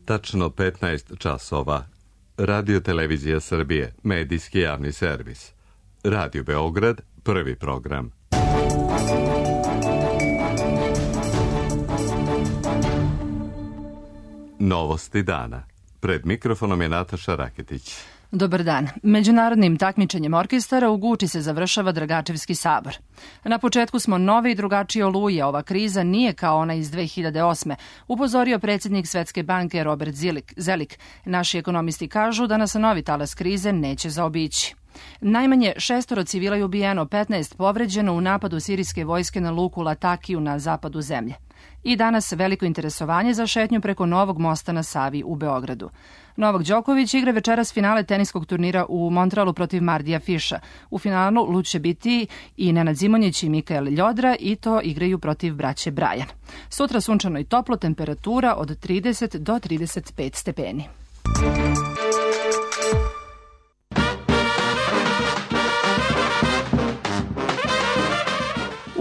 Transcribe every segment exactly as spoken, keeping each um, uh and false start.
tačno petnaest časova. Radio Televizija Srbije, medijski javni servis. Radio Beograd, prvi program. Novosti dana. Pred mikrofonom je Nataša Raketić. Dobar dan. Međunarodnim takmičenjem orkestara u Guči se završava Dragačevski sabor. Na početku smo nove i drugačije oluje. Ova kriza nije kao ona iz dve hiljade osme. Upozorio predsjednik Svetske banke Robert Zelik. Naši ekonomisti kažu da nas novi talas krize neće zaobići. Najmanje šestoro civila je ubijeno, petnaest povređeno u napadu sirijske vojske na luku Latakiju na zapadu zemlje. I danas veliko interesovanje za šetnju preko novog mosta na Savi u Beogradu. Novak Đoković igra večeras finale teniskog turnira u Montrealu protiv Mardija Fiša. U finalu lud će biti i Nenad Zimonjić i Mikael Ljodra i to igraju protiv braće Brajan. Sutra sunčano i toplo, temperatura od trideset do trideset pet stepeni.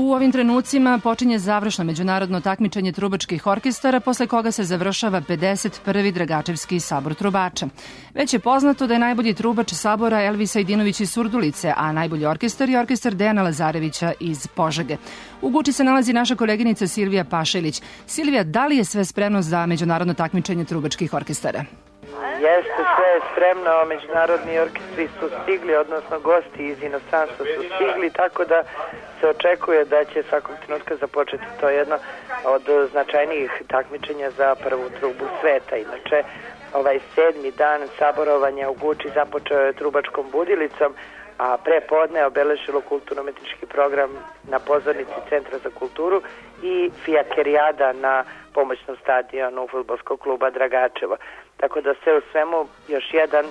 U ovim trenucima počinje završno međunarodno takmičenje trubačkih orkestara, posle koga se završava pedeset prvi Dragačevski sabor trubača. Već je poznato da je najbolji trubač sabora Elvis Ajdinović iz Surdulice, a najbolji orkestar je orkestar Dejana Lazarevića iz Požege. U Guči se nalazi naša koleginica Silvija Pašelić. Silvija, da li je sve spremno za međunarodno takmičenje trubačkih orkestara? Jeste, sve je spremno, međunarodni orkestri su stigli, odnosno gosti iz inostranstva su stigli, tako da se očekuje da će svakog trenutka započeti to jedno od značajnijih takmičenja za prvu trubu sveta. Inače, ovaj sedmi dan saborovanja u Guči započeo je trubačkom budilicom, a pre podne obeležilo kulturno-umetnički program na pozornici Centra za kulturu i fijakerijada na pomoćnom stadionu fudbalskog kluba Dragačevo. Tako da sve u svemu još jedan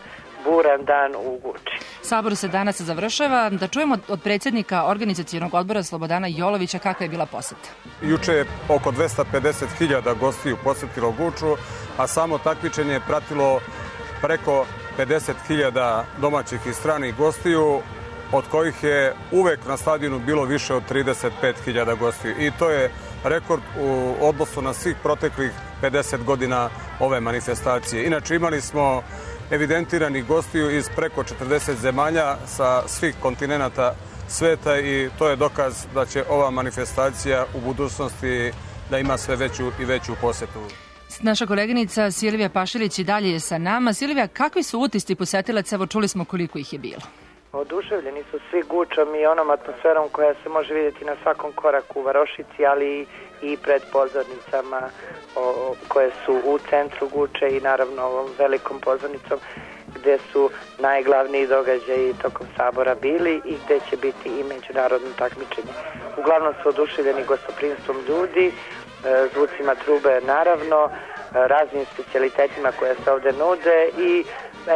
buran dan u Guči. Sabor se danas završava. Da čujemo od predsjednika organizacionog odbora Slobodana Jolovića kakva je bila poseta. Juče je oko dvesta pedeset hiljada gostiju posjetilo Guču, a samo takmičenje je pratilo preko pedeset hiljada domaćih i stranih gostiju, od kojih je uvek na stadionu bilo više od trideset pet hiljada gostiju. I to je rekord u odnosu na svih proteklih pedeset godina ove manifestacije. Inače, imali smo evidentirani gostiju iz preko četrdeset zemalja sa svih kontinenata sveta i to je dokaz da će ova manifestacija u budućnosti da ima sve veću i veću posetu. Naša koleginica Silvija Pašelić i dalje je sa nama. Silvija, kakvi su utisci posetilaca? Evo, čuli smo koliko ih je bilo. Oduševljeni su svi Gučom i onom atmosferom koja se može vidjeti na svakom koraku u varošici, ali i pred pozornicama o, koje su u centru Guče i naravno ovom velikom pozornicom gde su najglavniji događaji tokom sabora bili i gde će biti i međunarodno takmičenje. Uglavnom su oduševljeni gostoprimstvom ljudi, zvucima trube naravno, raznim specijalitetima koje se ovde nude i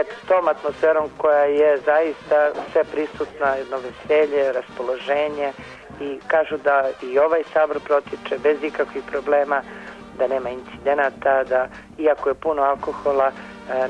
eto, s tom atmosferom koja je zaista sve prisutna, jedno veselje, raspoloženje i kažu da i ovaj sabor protiče bez ikakvih problema, da nema incidenata, da iako je puno alkohola,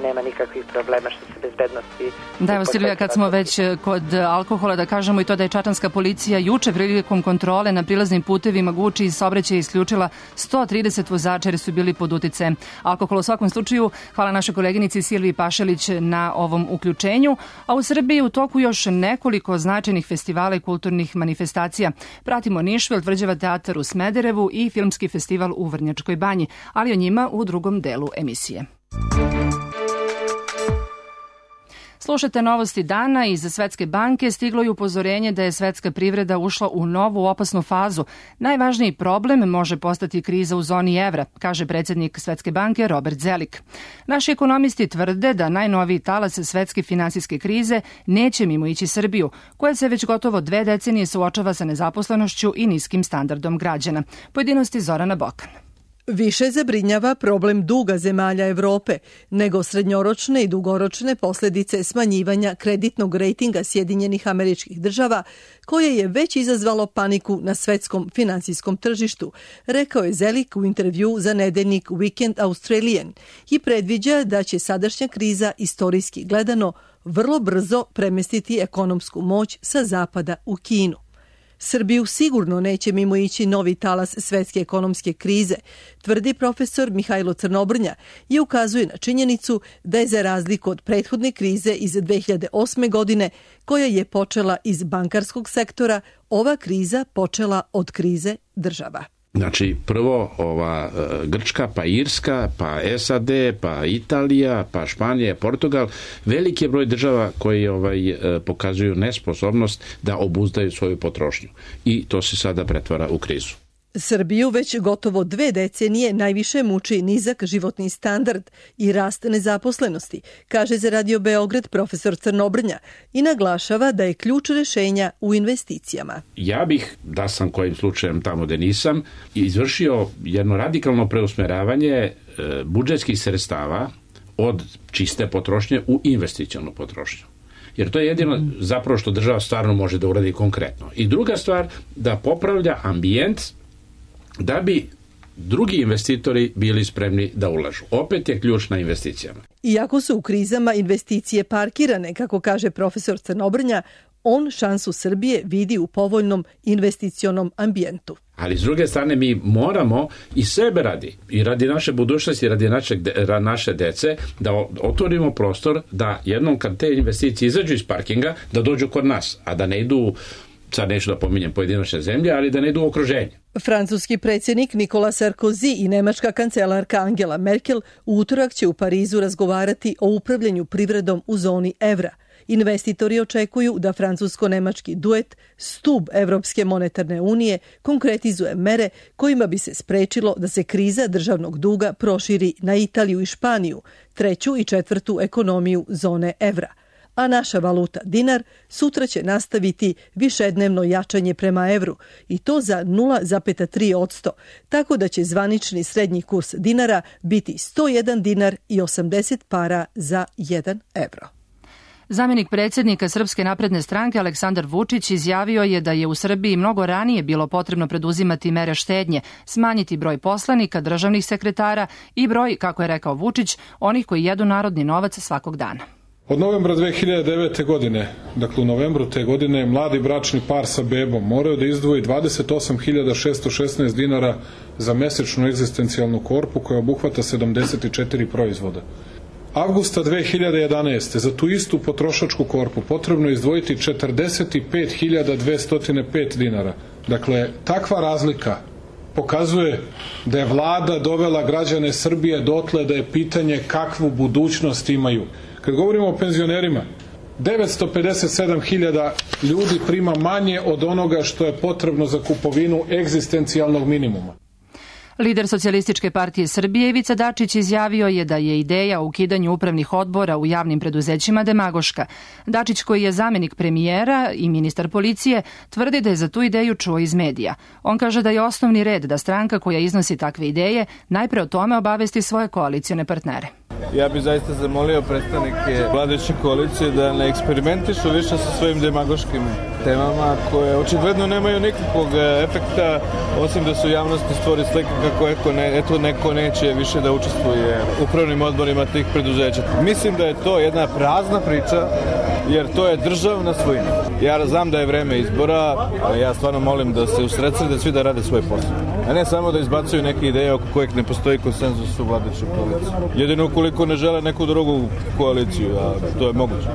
nema nikakvih problema što se bezbednosti... Da, evo Silvija, kad smo već kod alkohola, da kažemo i to da je čačanska policija juče prilikom kontrole na prilaznim putevima Guči iz saobraćaja isključila sto trideset vozača jer su bili pod uticajem alkohola. U svakom slučaju, hvala našoj koleginici Silviji Pašelić na ovom uključenju. A u Srbiji u toku još nekoliko značajnih festivala i kulturnih manifestacija. Pratimo Nišvil, Tvrđava teatar u Smederevu i filmski festival u Vrnjačkoj banji, ali o njima u drugom delu emisije. Slušate novosti dana. Iz Svetske banke stiglo je upozorenje da je svetska privreda ušla u novu opasnu fazu. Najvažniji problem može postati kriza u zoni evra, kaže predsjednik Svetske banke Robert Zelik. Naši ekonomisti tvrde da najnoviji talas svetske finansijske krize neće mimo ići Srbiju, koja se već gotovo dve decenije suočava sa nezaposlenošću i niskim standardom građana. Pojedinosti Zorana Bokan. Više zabrinjava problem duga zemalja Evrope nego srednjoročne i dugoročne posljedice smanjivanja kreditnog rejtinga Sjedinjenih Američkih Država, koje je već izazvalo paniku na svetskom finansijskom tržištu, rekao je Zelik u intervju za nedeljnik Weekend Australian i predviđa da će sadašnja kriza istorijski gledano vrlo brzo premestiti ekonomsku moć sa zapada u Kinu. Srbiju sigurno neće mimo ići novi talas svetske ekonomske krize, tvrdi profesor Mihajlo Crnobrnja i ukazuje na činjenicu da je za razliku od prethodne krize iz dve hiljade osme. godine, koja je počela iz bankarskog sektora, ova kriza počela od krize država. Znači, prvo ova Grčka, pa Irska, pa S A D, pa Italija, pa Španija, Portugal, veliki je broj država koji ovaj, pokazuju nesposobnost da obuzdaju svoju potrošnju. I to se sada pretvara u krizu. Srbiju već gotovo dve decenije najviše muči nizak životni standard i rast nezaposlenosti, kaže za Radio Beograd profesor Crnobrnja i naglašava da je ključ rešenja u investicijama. Ja bih, da sam kojim slučajem tamo gde nisam, izvršio jedno radikalno preusmeravanje budžetskih sredstava od čiste potrošnje u investicionu potrošnju. Jer to je jedino zapravo što država stvarno može da uradi konkretno. I druga stvar, da popravlja ambijent da bi drugi investitori bili spremni da ulažu. Opet je ključ na investicijama. Iako su u krizama investicije parkirane, kako kaže profesor Crnobrnja, on šansu Srbije vidi u povoljnom investicionom ambijentu. Ali s druge strane mi moramo i sebe radi, i radi naše budućnosti, i radi naše, naše dece, da otvorimo prostor da jednom kad te investicije izađu iz parkinga, da dođu kod nas, a da ne idu, sad neću da pominjem pojedinačne zemlje, ali da ne idu u okruženje. Francuski predsjednik Nikola Sarkozy i nemačka kancelarka Angela Merkel u utorak će u Parizu razgovarati o upravljanju privredom u zoni evra. Investitori očekuju da francusko-nemački duet, stub Evropske monetarne unije, konkretizuje mere kojima bi se sprečilo da se kriza državnog duga proširi na Italiju i Španiju, treću i četvrtu ekonomiju zone evra. A naša valuta dinar sutra će nastaviti višednevno jačanje prema evru i to za nula zarez tri posto, tako da će zvanični srednji kurs dinara biti sto jedan dinar i osamdeset para za jedan evro. Zamjenik predsjednika Srpske napredne stranke Aleksandar Vučić izjavio je da je u Srbiji mnogo ranije bilo potrebno preduzimati mere štednje, smanjiti broj poslanika, državnih sekretara i broj, kako je rekao Vučić, onih koji jedu narodni novac svakog dana. Od novembra dve hiljade devete. godine, dakle u novembru te godine, mladi bračni par sa bebom moraju da izdvoji dvadeset osam hiljada šesto šesnaest dinara za mesečnu egzistencijalnu korpu koja obuhvata sedamdeset četiri proizvoda. Avgusta dve hiljade jedanaeste. za tu istu potrošačku korpu potrebno je izdvojiti četrdeset pet hiljada dvesta pet dinara. Dakle, takva razlika pokazuje da je vlada dovela građane Srbije dotle da je pitanje kakvu budućnost imaju. Kad govorimo o penzionerima, devetsto pedeset sedam hiljada ljudi prima manje od onoga što je potrebno za kupovinu egzistencijalnog minimuma. Lider Socijalističke partije Srbije Ivica Dačić izjavio je da je ideja o ukidanju upravnih odbora u javnim preduzećima demagoška. Dačić, koji je zamjenik premijera i ministar policije, tvrdi da je za tu ideju čuo iz medija. On kaže da je osnovni red da stranka koja iznosi takve ideje najpre o tome obavesti svoje koalicione partnere. Ja bih zaista zamolio predstavnike vladajuće koalicije da ne eksperimentišu više sa svojim demagoškim temama koje očigledno nemaju nikakvog efekta, osim da su javnosti stvori slika kako eto, ne, eto neko neće više da učestvuje u upravnim odborima tih preduzeća. Mislim da je to jedna prazna priča, jer to je državna svojina. Ja znam da je vreme izbora, a ja stvarno molim da se usredsrede svi da rade svoj posao, a ne samo da izbacuju neke ideje oko kojeg ne postoji konsenzus u vladajućoj koaliciji. Jedino ukoliko ne žele neku drugu koaliciju, a to je moguće.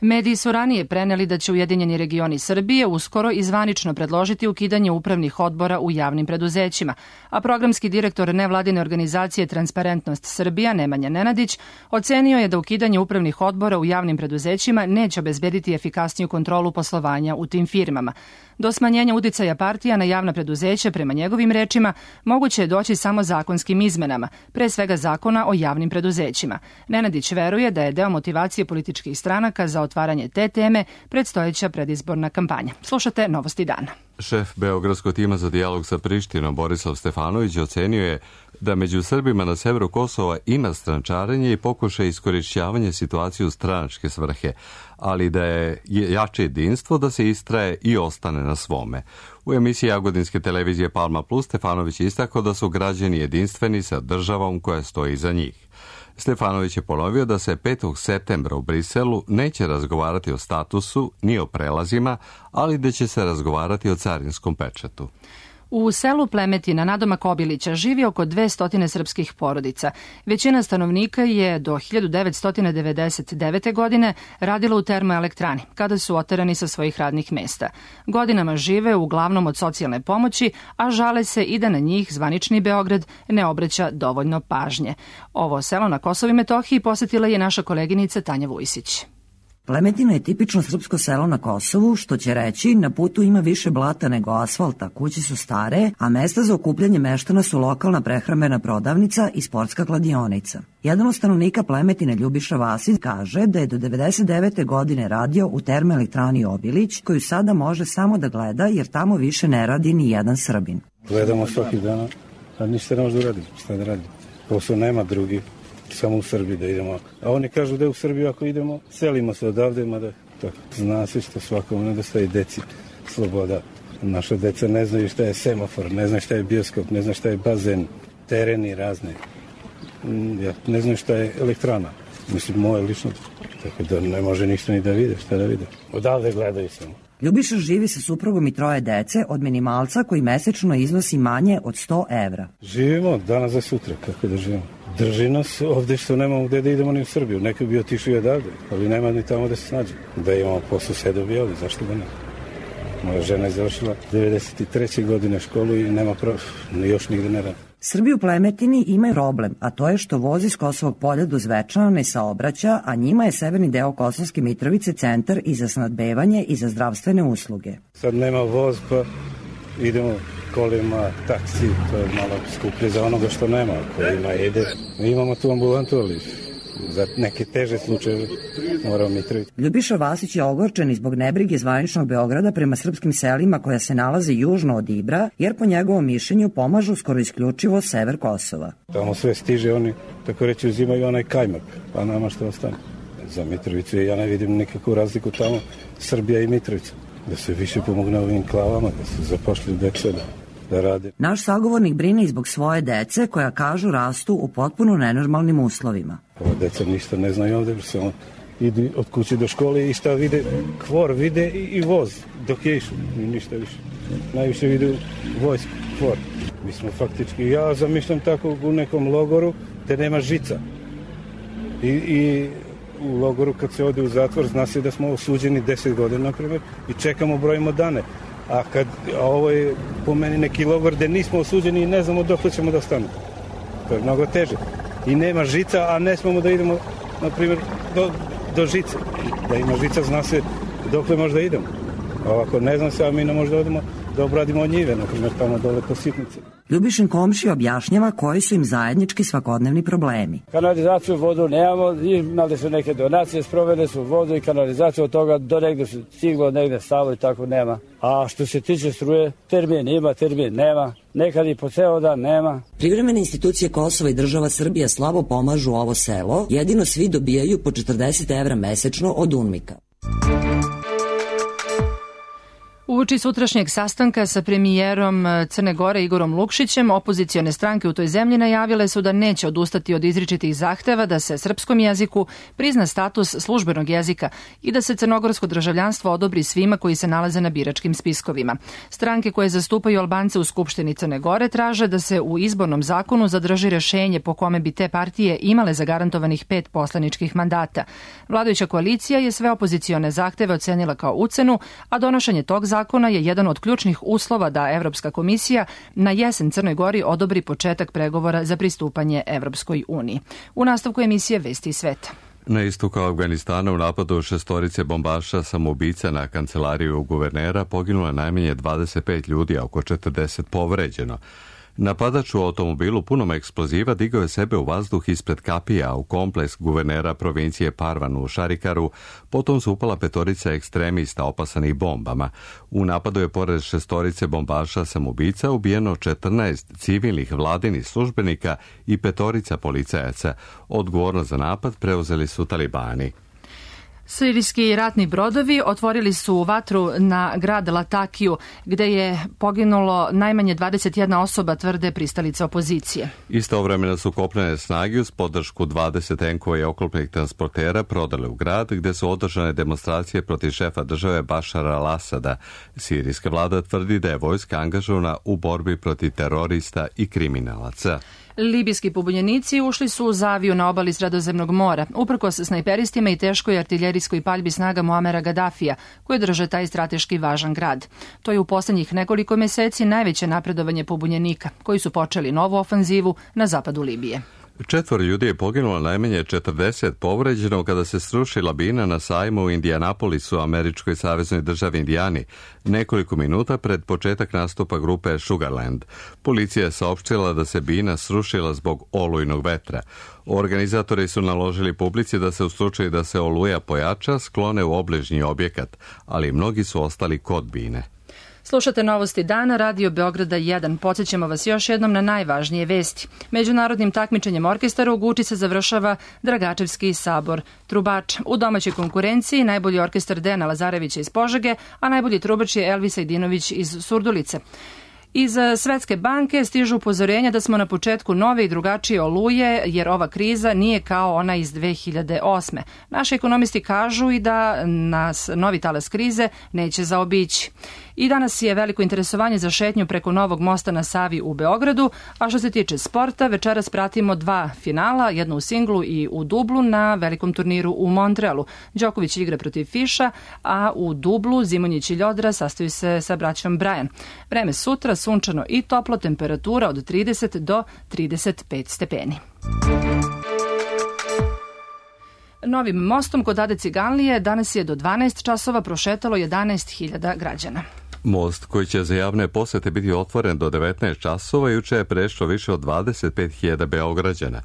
Mediji su ranije preneli da će Ujedinjeni regioni Srbije uskoro i zvanično predložiti ukidanje upravnih odbora u javnim preduzećima, a programski direktor nevladine organizacije Transparentnost Srbija Nemanja Nenadić ocenio je da ukidanje upravnih odbora u javnim preduzećima neće obezbediti efikasniju kontrolu poslovanja u tim firmama. Do smanjenja uticaja partija na javna preduzeća, prema njegovim rečima, moguće je doći samo zakonskim izmenama, pre svega zakona o javnim preduzećima. Nenadić veruje da je deo motivacije političkih stranaka za otvaranje te teme predstojeća predizborna kampanja. Slušate Novosti dana. Šef Beogradskog tima za dijalog sa Prištinom Borislav Stefanović ocenio je da među Srbima na severu Kosova ima strančarenje i pokušaj iskorišćavanja situacije u stranačke svrhe, ali da je jače jedinstvo da se istraje i ostane na svome. U emisiji Jagodinske televizije Palma Plus Stefanović istakao da su građani jedinstveni sa državom koja stoji iza njih. Stefanović je ponovio da se petog septembra u Briselu neće razgovarati o statusu ni o prelazima, ali da će se razgovarati o carinskom pečatu. U selu Plemetina nadomak Obilića živi oko dvesta srpskih porodica. Većina stanovnika je do hiljadu devetsto devedeset devete. godine radila u termoelektrani, kada su oterani sa svojih radnih mesta. Godinama žive uglavnom od socijalne pomoći, a žale se i da na njih zvanični Beograd ne obraća dovoljno pažnje. Ovo selo na Kosovu i Metohiji posetila je naša koleginica Tanja Vujsić. Plemetina je tipično srpsko selo na Kosovu, što će reći na putu ima više blata nego asfalta, kuće su stare, a mesta za okupljanje meštana su lokalna prehrambena prodavnica i sportska kladionica. Jedan od stanovnika Plemetine, Ljubiša Vasić, kaže da je do devedeset devete. godine radio u termoelektrani Obilić, koju sada može samo da gleda jer tamo više ne radi ni jedan Srbin. Gledamo svaki dan, a ništa ne može da uradimo, šta da radimo. Posao nema drugi. Samo u Srbiji da idemo. A oni kažu da je u Srbiju ako idemo, selimo se odavde, mada tako. Zna se što svakom nedostaje deci sloboda. Naša deca ne znaju šta je semafor, ne znaju šta je bioskop, ne znaju šta je bazen, tereni razne. Ja, ne znaju šta je elektrana. Mislim, moje lično. Tako da ne može ništa ni da vide, šta da vide. Odavde gledaju samo. Ljubiša živi sa suprugom i troje dece od minimalca koji mesečno iznosi manje od sto evra. Živimo danas za sutra, kako da živimo. Drži nas ovde što nemamo gde da idemo ni u Srbiju. Neko bi otišao i odavde, ali nema ni tamo da se snađe. Da imamo posao sedovi ovde, zašto da ne? Moja žena je završila devedeset treće. godine školu i nema pravo, još nigde ne radi. Srbi u Plemetini imaju problem, a to je što voz iz Kosovog polja do Zvečana ne saobraća, a njima je severni deo Kosovske Mitrovice centar i za snadbevanje i za zdravstvene usluge. Sad nema voz, pa idemo kolima, taksi, to je malo skuplje za onoga što nema, ko ima ide. Mi imamo tu ambulantu, ali za neke teže slučajeve moramo Mitrovicu. Ljubiša Vasić je ogorčen zbog nebrige zvaničnog Beograda prema srpskim selima koja se nalaze južno od Ibra, jer po njegovom mišljenju pomažu skoro isključivo sever Kosova. Tamo sve stiže, oni tako reći uzimaju onaj kajmak, pa nama što ostane. Za Mitrovicu ja ne vidim nikakvu razliku tamo, Srbija i Mitrovica. Da se više pomogne ovim klavama, da se zapošlju deca da, da rade. Naš sagovornik brine i zbog svoje dece koja kažu rastu u potpuno nenormalnim uslovima. Ova deca ništa ne znaju ovde, samo idu od kuće do škole i šta vide, kvor vide i, i voz dok je išao i ništa više. Najviše vide vojsku, kvor. Mi smo faktički, ja zamišljam tako u nekom logoru gde nema žica. I, i u logoru kad se ode u zatvor zna se da smo osuđeni deset godina, na primjer, i čekamo, brojimo dane. A, kad, a ovo je po meni neki logor gde nismo osuđeni i ne znamo dok ćemo da stanemo. To je mnogo teže. I nema žica, a ne smemo da idemo, na primjer, do, do žice. Da ima žica, zna se dokle možda idemo. A ovako ne znam se, a mi ne možda odemo da obradimo njive, na primjer, tamo dole po sitnici. Ljubišin komšija objašnjava koji su im zajednički svakodnevni problemi. Kanalizaciju, vodu nemamo, imali su neke donacije, sprovede su vodu i kanalizaciju, od toga do negde su stiglo, negde stalo i tako nema. A što se tiče struje, termin ima, termin nema, nekad i po ceo dan nema. Privremene institucije Kosova i država Srbija slabo pomažu ovo selo, jedino svi dobijaju po četrdeset evra mesečno od UNMIK-a. Uoči sutrašnjeg sastanka sa premijerom Crne Gore Igorom Lukšićem, opozicione stranke u toj zemlji najavile su da neće odustati od izričitih zahteva da se srpskom jeziku prizna status službenog jezika i da se crnogorsko državljanstvo odobri svima koji se nalaze na biračkim spiskovima. Stranke koje zastupaju Albance u Skupštini Crne Gore traže da se u izbornom zakonu zadrži rešenje po kome bi te partije imale zagarantovanih pet poslaničkih mandata. Vladajuća koalicija je sve opozicione zahteve ocenila kao ucenu, a donošenje tog zakona zakona je jedan od ključnih uslova da Evropska komisija na jesen Crnoj Gori odobri početak pregovora za pristupanje Evropskoj uniji. U nastavku emisije Vesti iz sveta. Na istoku Afganistana u napadu šestorice bombaša samoubica na kancelariju guvernera poginulo je najmanje dvadeset pet ljudi, a oko četrdeset povređeno. Napadač u automobilu punom eksploziva digao je sebe u vazduh ispred kapija u kompleks guvernera provincije Parvan u Šarikaru, potom su upala petorica ekstremista opasanih bombama. U napadu je pored šestorice bombaša samoubica ubijeno četrnaest civilnih vladinih službenika i petorica policajaca. Odgovornost za napad preuzeli su talibani. Sirijski ratni brodovi otvorili su vatru na grad Latakiju, gde je poginulo najmanje dvadeset jedna osoba, tvrde pristalice opozicije. Istovremeno su kopnene snage uz podršku dvadeset tenkova i oklopnih transportera prodale u grad, gde su održane demonstracije protiv šefa države Bašara al-Asada. Sirijska vlada tvrdi da je vojska angažovana u borbi protiv terorista i kriminalaca. Libijski pobunjenici ušli su u zaviju na obali Sredozemnog mora, uprkos snajperistima i teškoj artiljerijskoj paljbi snaga Muamera Gadafija, koje drže taj strateški važan grad. To je u poslednjih nekoliko meseci najveće napredovanje pobunjenika, koji su počeli novu ofanzivu na zapadu Libije. Četvoro ljudi je poginulo, najmanje četrdeset povređeno kada se sruši labina na sajmu u Indianapolisu, američkoj saveznoj državi Indijani, nekoliko minuta pred početak nastupa grupe Sugarland. Policija je saopštila da se bina srušila zbog olujnog vetra. Organizatori su naložili publici da se u slučaju da se oluja pojača sklone u obližnji objekat, ali mnogi su ostali kod bine. Slušate Novosti dana, Radio Beograda jedan. Podsjećamo vas još jednom na najvažnije vesti. Međunarodnim takmičenjem orkestara u Guči se završava Dragačevski sabor trubača. U domaćoj konkurenciji najbolji orkestar Dejana Lazarevića iz Požege, a najbolji trubač je Elvis Ajdinović iz Surdulice. Iz Svetske banke stižu upozorenja da smo na početku nove i drugačije oluje, jer ova kriza nije kao ona iz dve hiljade osme. Naši ekonomisti kažu i da nas novi talas krize neće zaobići. I danas je veliko interesovanje za šetnju preko novog mosta na Savi u Beogradu, a što se tiče sporta, večeras pratimo dva finala, jedno u singlu i u dublu na velikom turniru u Montrealu. Đoković igra protiv Fiša, a u dublu Zimonjić i Ljodra sastaju se sa braćom Bryan. Vreme sutra, sunčano i toplo, temperatura od trideset do trideset pet stepeni. Novim mostom kod Ade Ciganlije danas je do dvanaest časova prošetalo jedanaest hiljada građana. Most koji će za javne posete biti otvoren do devetnaest časova juče je prešlo više od dvadeset pet hiljada Beograđana.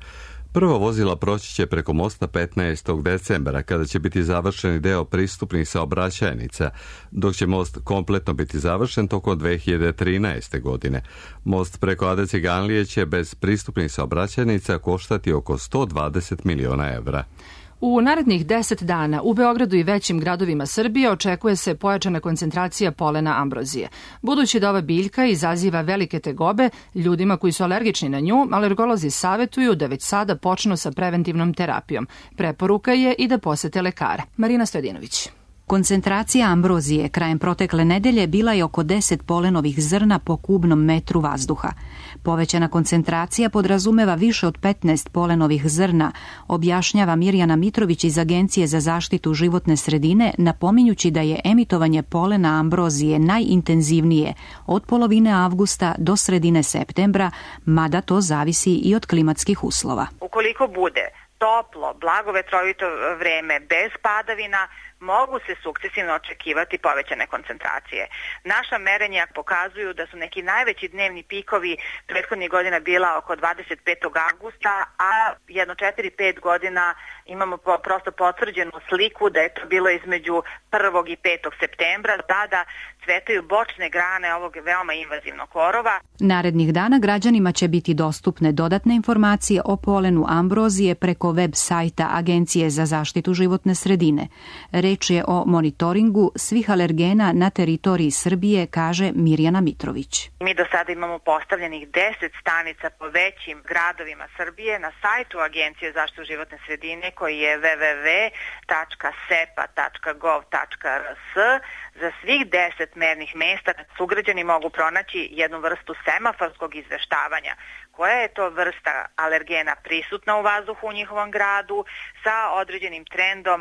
Prva vozila proći će preko mosta petnaestog decembra, kada će biti završeni deo pristupnih saobraćajnica, dok će most kompletno biti završen tokom dve hiljade trinaeste. godine. Most preko Ade Ciganlije će bez pristupnih saobraćajnica koštati oko sto dvadeset miliona evra. U narednih deset dana u Beogradu i većim gradovima Srbije očekuje se pojačana koncentracija polena ambrozije. Budući da ova biljka izaziva velike tegobe ljudima koji su alergični na nju, alergolozi savetuju da već sada počnu sa preventivnom terapijom. Preporuka je i da posete lekara. Marina Stojadinović. Koncentracija ambrozije krajem protekle nedelje bila je oko deset polenovih zrna po kubnom metru vazduha. Povećana koncentracija podrazumeva više od petnaest polenovih zrna, objašnjava Mirjana Mitrović iz Agencije za zaštitu životne sredine, napominjući da je emitovanje polena ambrozije najintenzivnije od polovine avgusta do sredine septembra, mada to zavisi i od klimatskih uslova. Ukoliko bude toplo, blagovetrovito vreme bez padavina, mogu se sukcesivno očekivati povećane koncentracije. Naša merenja pokazuju da su neki najveći dnevni pikovi prethodnih godina bila oko dvadeset petog avgusta, a jedno četiri pet godina imamo prosto potvrđenu sliku da je to bilo između prvog i petog septembra. Tada cvetaju bočne grane ovog veoma invazivnog korova. Narednih dana građanima će biti dostupne dodatne informacije o polenu ambrozije preko web sajta Agencije za zaštitu životne sredine. Reč je o monitoringu svih alergena na teritoriji Srbije, kaže Mirjana Mitrović. Mi do sada imamo postavljenih deset stanica po većim gradovima Srbije na sajtu Agencije za zaštitu životne sredine koji je w w w tačka sepa tačka gov tačka r s. Za svih deset mernih mesta sugrađani mogu pronaći jednu vrstu semaforskog izveštavanja. Koja je to vrsta alergena prisutna u vazduhu u njihovom gradu sa određenim trendom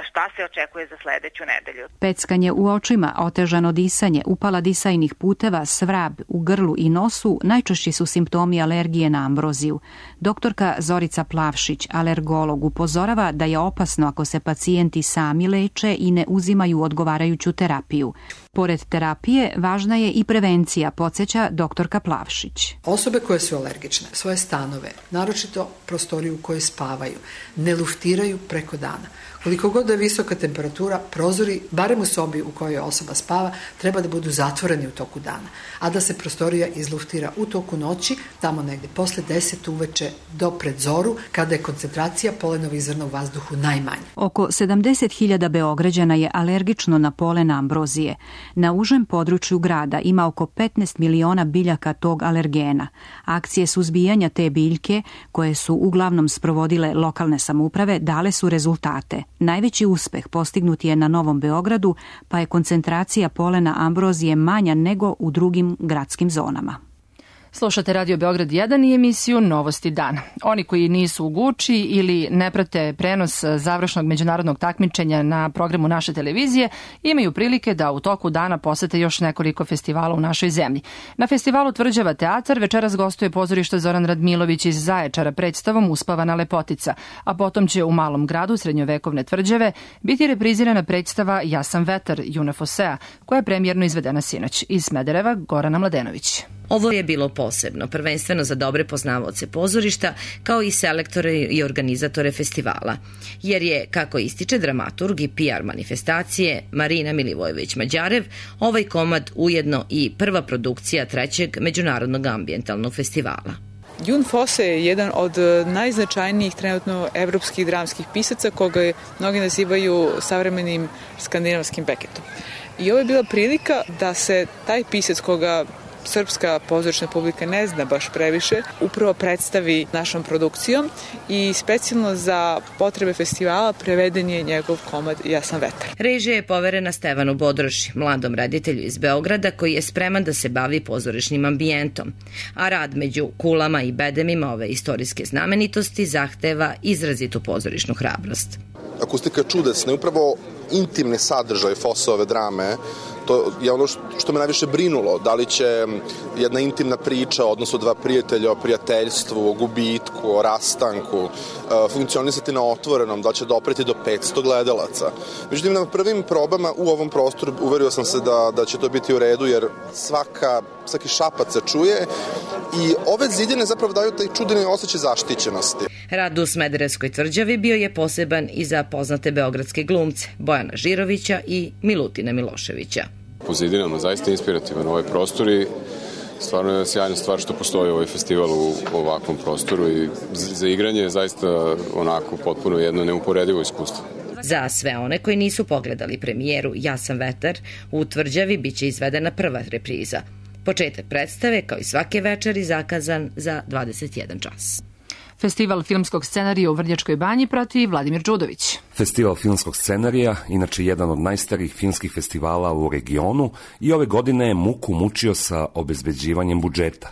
šta se očekuje za sledeću nedelju. Peckanje u očima, otežano disanje, upala disajnih puteva, svrab u grlu i nosu najčešći su simptomi alergije na ambroziju. Doktorka Zorica Plavšić, alergolog, upozorava da je opasno ako se pacijenti sami leče i ne uzimaju odgovarajuću terapiju. Pored terapije, važna je i prevencija, podsjeća doktorka Plavšić. Osobe koje su alergične, svoje stanove, naročito prostoriju u kojoj spavaju, ne luftiraju preko dana. Koliko god da je visoka temperatura, prozori, barem u sobi u kojoj osoba spava, treba da budu zatvoreni u toku dana, a da se prostorija izluftira u toku noći, tamo negde posle deset uveče do pred zoru, kada je koncentracija polenovih zrna u vazduhu najmanja. Oko sedamdeset hiljada Beograđana je alergično na polen ambrozije. Na užem području grada ima oko petnaest miliona biljaka tog alergena. Akcije suzbijanja te biljke, koje su uglavnom sprovodile lokalne samouprave, dale su rezultate. Najveći uspeh postignut je na Novom Beogradu, pa je koncentracija polena ambrozije manja nego u drugim gradskim zonama. Slušate Radio Beograd jedan i emisiju Novosti dana. Oni koji nisu u Guči ili ne prate prenos završnog međunarodnog takmičenja na programu naše televizije imaju prilike da u toku dana posete još nekoliko festivala u našoj zemlji. Na festivalu Tvrđava teatar večeras gostuje pozorište Zoran Radmilović iz Zaječara predstavom Uspavana lepotica, a potom će u Malom gradu srednjovekovne Tvrđave biti reprizirana predstava Ja sam vetar Juna Fosea, koja je premijerno izvedena sinoć. Iz Smedereva Gorana Mladenović. Ovo je bilo posebno, prvenstveno za dobre poznavaoce pozorišta, kao i selektore i organizatore festivala. Jer je, kako ističe dramaturg i P R manifestacije Marina Milivojević-Mađarev, ovaj komad ujedno i prva produkcija trećeg međunarodnog ambijentalnog festivala. Jun Fosse je jedan od najznačajnijih trenutno evropskih dramskih pisaca, koga mnogi nazivaju savremenim skandinavskim Beketom. I ovo je bila prilika da se taj pisac, koga srpska pozorišna publika ne zna baš previše, upravo predstavi našom produkcijom i specijalno za potrebe festivala preveden je njegov komad Ja sam vetar. Režija je poverena Stevanu Bodroši, mladom reditelju iz Beograda koji je spreman da se bavi pozorišnim ambijentom, a rad među kulama i bedemima ove istorijske znamenitosti zahteva izrazitu pozorišnu hrabrost. Akustika je čudesna, upravo intimni sadržaj Fosseove drame, to je ono što me najviše brinulo, da li će jedna intimna priča, odnosno dva prijatelja o prijateljstvu, o gubitku, o rastanku, funkcionisati na otvorenom, da će dopreti do petsto gledalaca. Međutim, na prvim probama u ovom prostoru uverio sam se da, da će to biti u redu, jer svaka, svaki šapac se čuje i ove zidine zapravo daju taj čudeni osjećaj zaštićenosti. Rad u Smederevskoj Tvrđavi bio je poseban i za poznate beogradske glumce Bojana Žirovića i Milutina Miloševića. Po zidinama zaista inspirativan ovaj prostor i stvarno je sjajna stvar što postoji ovaj festival u ovakvom prostoru i za igranje je zaista onako potpuno jedno neuporedivo iskustvo. Za sve one koji nisu pogledali premijeru Ja sam vetar, u Tvrđavi biće izvedena prva repriza. Početak predstave, kao i svake večeri, zakazan za dvadeset jedan čas. Festival filmskog scenarija u Vrnjačkoj banji prati Vladimir Đudović. Festival filmskog scenarija, inače jedan od najstarijih filmskih festivala u regionu, i ove godine je muku mučio sa obezbeđivanjem budžeta.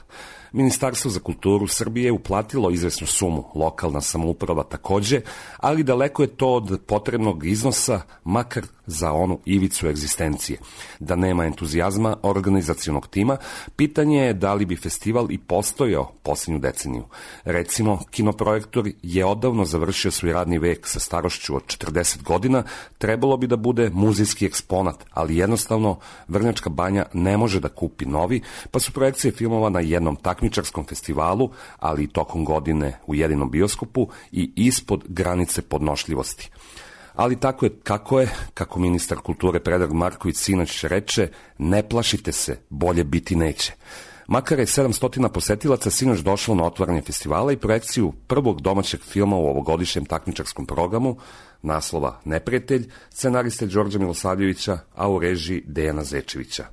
Ministarstvo za kulturu Srbije uplatilo izvesnu sumu, lokalna samouprava takođe, ali daleko je to od potrebnog iznosa, makar za onu ivicu egzistencije. Da nema entuzijazma organizacionog tima, pitanje je da li bi festival i postojao posljednju deceniju. Recimo, kinoprojektor je odavno završio svoj radni vek sa starošću od četrdeset godina, trebalo bi da bude muzejski eksponat, ali jednostavno Vrnjačka banja ne može da kupi novi, pa su projekcije filmova na jednom takmičarskom festivalu, ali i tokom godine u jedinom bioskopu i ispod granice podnošljivosti. Ali tako je kako je, kako ministar kulture Predrag Marković sinoć reče, ne plašite se, bolje biti neće. Makar je sedamsto posetilaca sinoć došlo na otvaranje festivala i projekciju prvog domaćeg filma u ovogodišnjem takmičarskom programu, naslova Neprijatelj, scenariste Đorđa Milosavljevića, a u režiji Dejana Zečevića.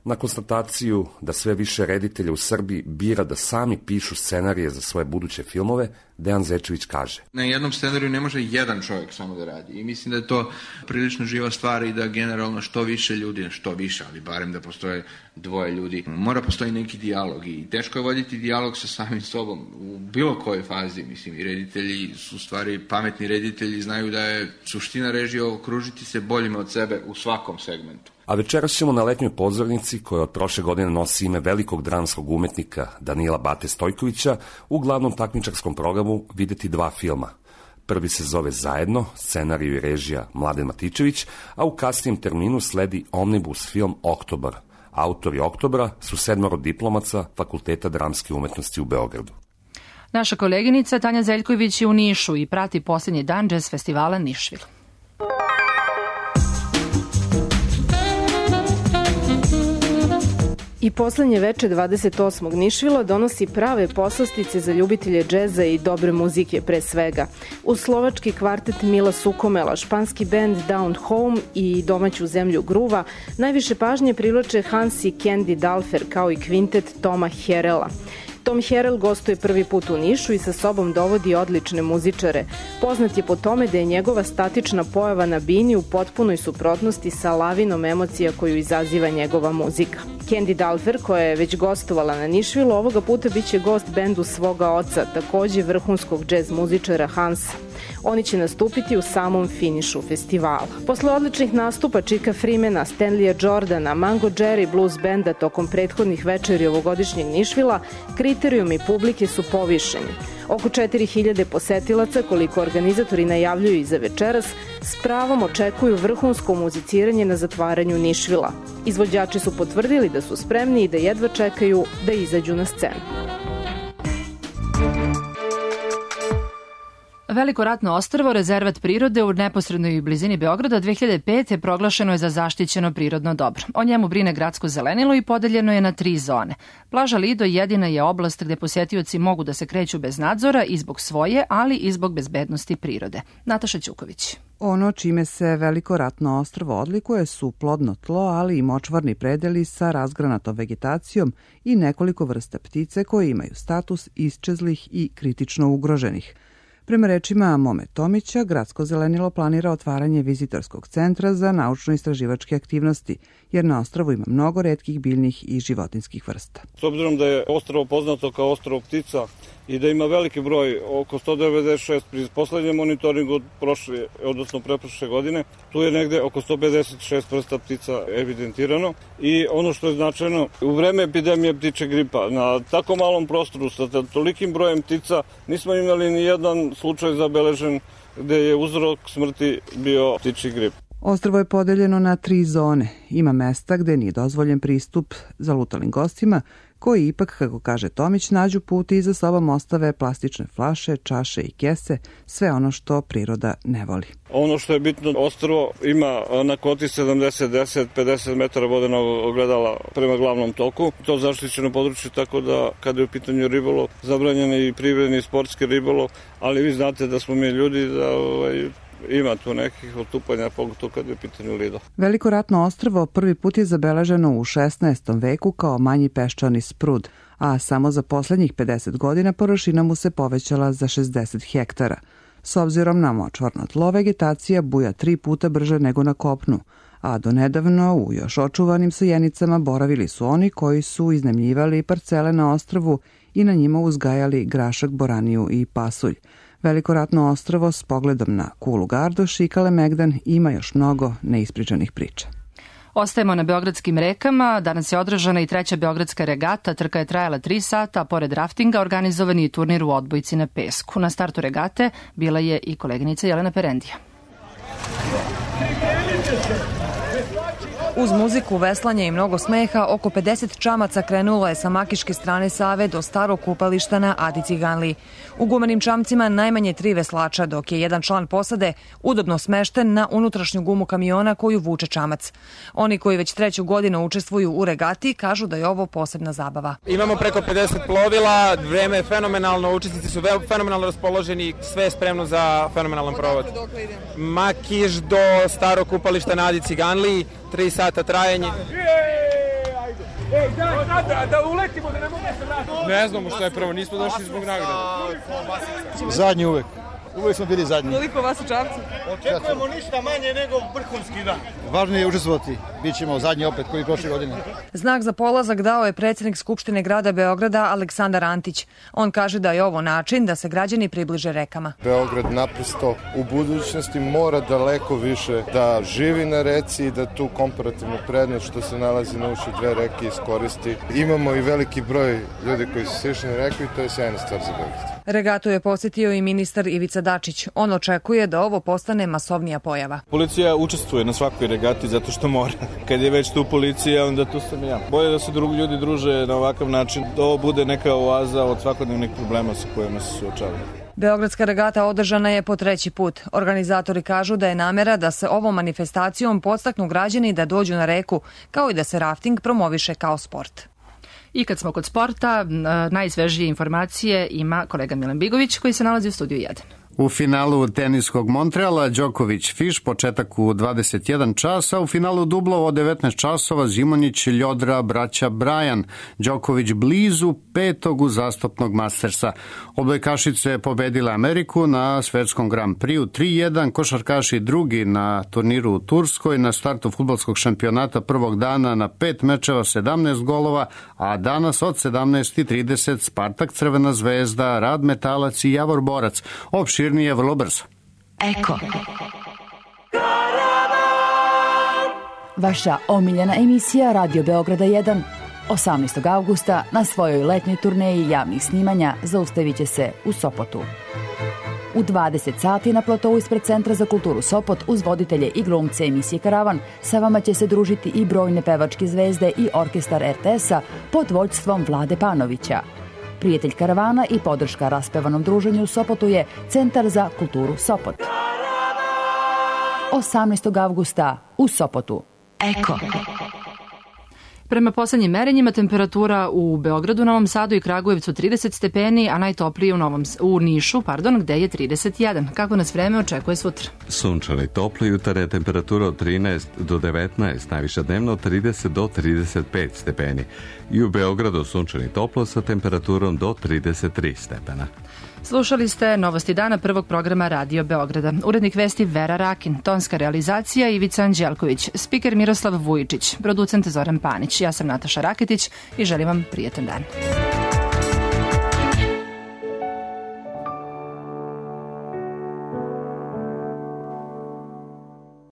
Na konstataciju da sve više reditelja u Srbiji bira da sami pišu scenarije za svoje buduće filmove, Dejan Zečević kaže: Na jednom scenariju ne može jedan čovjek samo da radi i mislim da je to prilično živa stvar i da generalno što više ljudi, što više, ali barem da postoje dvoje ljudi, mora postoji neki dijalog i teško je voditi dijalog sa samim sobom u bilo kojoj fazi, mislim, i reditelji su stvari, pametni reditelji znaju da je suština režije okružiti se boljima od sebe u svakom segmentu. A večeras ćemo na letnjoj pozornici, koja od prošle godine nosi ime velikog dramskog umetnika Danila Bate Stojkovića, u glavnom takmičarskom programu videti dva filma. Prvi se zove Zajedno, scenariju i režija Mladen Matičević, a u kasnijem terminu sledi omnibus film Oktobar. Autori Oktobra su sedmoro diplomaca Fakulteta dramske umetnosti u Beogradu. Naša koleginica Tanja Zeljković je u Nišu i prati posljednji dan jazz festivala Nišvil. I poslednje veče dvadeset osmog Nišvila donosi prave poslastice za ljubitelje džeza i dobre muzike pre svega. Uz slovački kvartet Mila Sukomela, španski band Down Home i domaću zemlju Gruva, najviše pažnje privlače Hans i Candy Dalfer kao i kvintet Toma Herela. Tom Herel gostuje prvi put u Nišu i sa sobom dovodi odlične muzičare. Poznat je po tome da je njegova statična pojava na bini u potpunoj suprotnosti sa lavinom emocija koju izaziva njegova muzika. Candy Dalfer, koja je već gostovala na Nišvilu, ovoga puta biće gost bendu svoga oca, takođe vrhunskog džez muzičara Hansa. Oni će nastupiti u samom finišu festivala. Posle odličnih nastupa Chicka Freemana, Stanleya Jordana, Mango Jerry Blues benda tokom prethodnih večeri ovogodišnjeg Nišvila, kriterijumi publike su povišeni. Oko četiri hiljade posetilaca, koliko organizatori najavljuju i za večeras, s pravom očekuju vrhunsko muziciranje na zatvaranju Nišvila. Izvođači su potvrdili da su spremni i da jedva čekaju da izađu na scenu. Veliko ratno ostrvo, rezervat prirode u neposrednoj blizini Beograda dve hiljade pete. proglašeno je za zaštićeno prirodno dobro. O njemu brine gradsko zelenilo i podeljeno je na tri zone. Plaža Lido jedina je oblast gde posetioci mogu da se kreću bez nadzora i zbog svoje, ali i zbog bezbednosti prirode. Nataša Ćuković. Ono čime se Veliko ratno ostrvo odlikuje su plodno tlo, ali i močvarni predeli sa razgranatom vegetacijom i nekoliko vrsta ptice koje imaju status isčezlih i kritično ugroženih. Prema rečima Mome Tomića, gradsko zelenilo planira otvaranje vizitorskog centra za naučno-istraživačke aktivnosti, jer na ostrvu ima mnogo retkih biljnih i životinskih vrsta. S obzirom da je ostrvo poznato kao ostrvo ptica i da ima veliki broj, oko sto devedeset šest pri poslednjem monitoringu od prošle, odnosno preprošle godine, tu je negde oko sto pedeset šest vrsta ptica evidentirano i ono što je značajno, u vreme epidemije ptiče gripa, na tako malom prostoru sa tolikim brojem ptica nismo imali ni jedan slučaj zabeležen gde je uzrok smrti bio ptičji grip. Ostrvo je podeljeno na tri zone. Ima mesta gde nije dozvoljen pristup zalutalim gostima, koji ipak, kako kaže Tomić, nađu put i za sobom ostave plastične flaše, čaše i kese, sve ono što priroda ne voli. Ono što je bitno, ostrvo ima na kvoti sedamdeset, deset, pedeset metara vodenog ogledala prema glavnom toku. To zaštićeno područje, tako da kada je u pitanju ribolov, zabranjen je i privredni i sportski ribolov, ali vi znate da smo mi ljudi da ovaj, ima tu nekih otupanja, pogotovo kad je u pitanju Lido. Veliko ratno ostrvo prvi put je zabeleženo u šesnaestom veku kao manji peščani sprud, a samo za poslednjih pedeset godina površina mu se povećala za šezdeset hektara. S obzirom na močvarno tlo, vegetacija buja tri puta brže nego na kopnu, a donedavno u još očuvanim sajenicama boravili su oni koji su iznajmljivali parcele na ostrvu i na njima uzgajali grašak, boraniju i pasulj. Veliko ratno ostrvo s pogledom na Kulu Gardoš i Kalemegdan ima još mnogo neispričanih priča. Ostajemo na beogradskim rekama. Danas je održana i treća beogradska regata. Trka je trajala tri sata, a pored raftinga organizovan je turnir u odbojci na pesku. Na startu regate bila je i koleginica Jelena Perendija. Uz muziku, veslanje i mnogo smeha, oko pedeset čamaca krenulo je sa makiške strane Save do starog kupališta na Adi Ciganliji. U gumenim čamcima najmanje tri veslača, dok je jedan član posade udobno smešten na unutrašnju gumu kamiona koju vuče čamac. Oni koji već treću godinu učestvuju u regati kažu da je ovo posebna zabava. Imamo preko pedeset plovila, vreme je fenomenalno, učesnici su fenomenalno raspoloženi, sve je spremno za fenomenalan provod. Makiš do starog kupališta na Adi Ciganliji, tri sata trajanje. Ej, da, da, da uletimo, da ne mogu se vratiti. Ne znamo šta je prvo, nismo došli zbog nagrade. Zadnji uvek. Uvek smo bili zadnji. Koliko vas u Čapcu? Očekujemo ništa manje nego vrhunski dan. Važno je učestvovati. Bićemo zadnji opet koji prošle godine. Znak za polazak dao je predsjednik Skupštine grada Beograda Aleksandar Antić. On kaže da je ovo način da se građani približe rekama. Beograd naprosto u budućnosti mora daleko više da živi na reci i da tu komparativnu prednost što se nalazi na uši dve reke iskoristi. Imamo i veliki broj ljudi koji su sišli na reku i to je sjajna stvar za Beograd. Regatu je posjetio i ministar Ivica Dačić. On očekuje da ovo postane masovnija pojava. Policija učestvuje na svakoj regati zato što mora. Kad je već tu policija, onda tu sam ja. Bolje da se drugi ljudi druže na ovakav način, da ovo bude neka oaza od svakodnevnih problema sa kojima se suočavaju. Beogradska regata održana je po treći put. Organizatori kažu da je namera da se ovom manifestacijom podstaknu građani da dođu na reku, kao i da se rafting promoviše kao sport. I kad smo kod sporta, najsvežije informacije ima kolega Milan Bigović koji se nalazi u studiju jedan. U finalu teniskog Montreala Đoković-Fiš početak u dvadeset jedan časa, u finalu dublova od devetnaest časova Zimonjić-Ljodra braća Brajan, Đoković blizu petog uzastopnog Mastersa. Odbojkašice pobedile Ameriku na svetskom Grand Prix tri jedan, košarkaši drugi na turniru u Turskoj, na startu fudbalskog šampionata prvog dana na pet mečeva sedamnaest golova, a danas od sedamnaest i trideset Spartak, Crvena zvezda, Rad Metalac i Javor Borac. Opširnije je vrlo brzo. Eko. Vaša omiljena emisija Radio Beograda jedan. osamnaestog avgusta na svojoj letnjoj turneji javnih snimanja zaustavit će se u Sopotu. U dvadeset sati na platovu ispred Centra za kulturu Sopot uz voditelje i glumce emisije Karavan sa vama će se družiti i brojne pevačke zvezde i orkestar er te es-a pod vođstvom Vlade Panovića. Prijatelj Karavana i podrška raspevanom druženju u Sopotu je Centar za kulturu Sopot. osamnaestog avgusta u Sopotu. Eko. Prema poslednjim merenjima temperatura u Beogradu, Novom Sadu i Kragujevcu trideset stepeni, a najtoplije u, Novom, u Nišu, pardon, gde je trideset jedan. Kako nas vreme očekuje sutra? Sunčano i toplo, jutarnje temperatura od trinaest do devetnaest, najviša dnevno od trideset do trideset pet stepeni. I u Beogradu sunčano i toplo sa temperaturom do trideset tri stepena. Slušali ste Novosti dana prvog programa Radio Beograda. Urednik vesti Vera Rakin, tonska realizacija Ivica Anđelković, spiker Miroslav Vujičić, producent Zoran Panić. Ja sam Nataša Raketić i želim vam prijetan dan.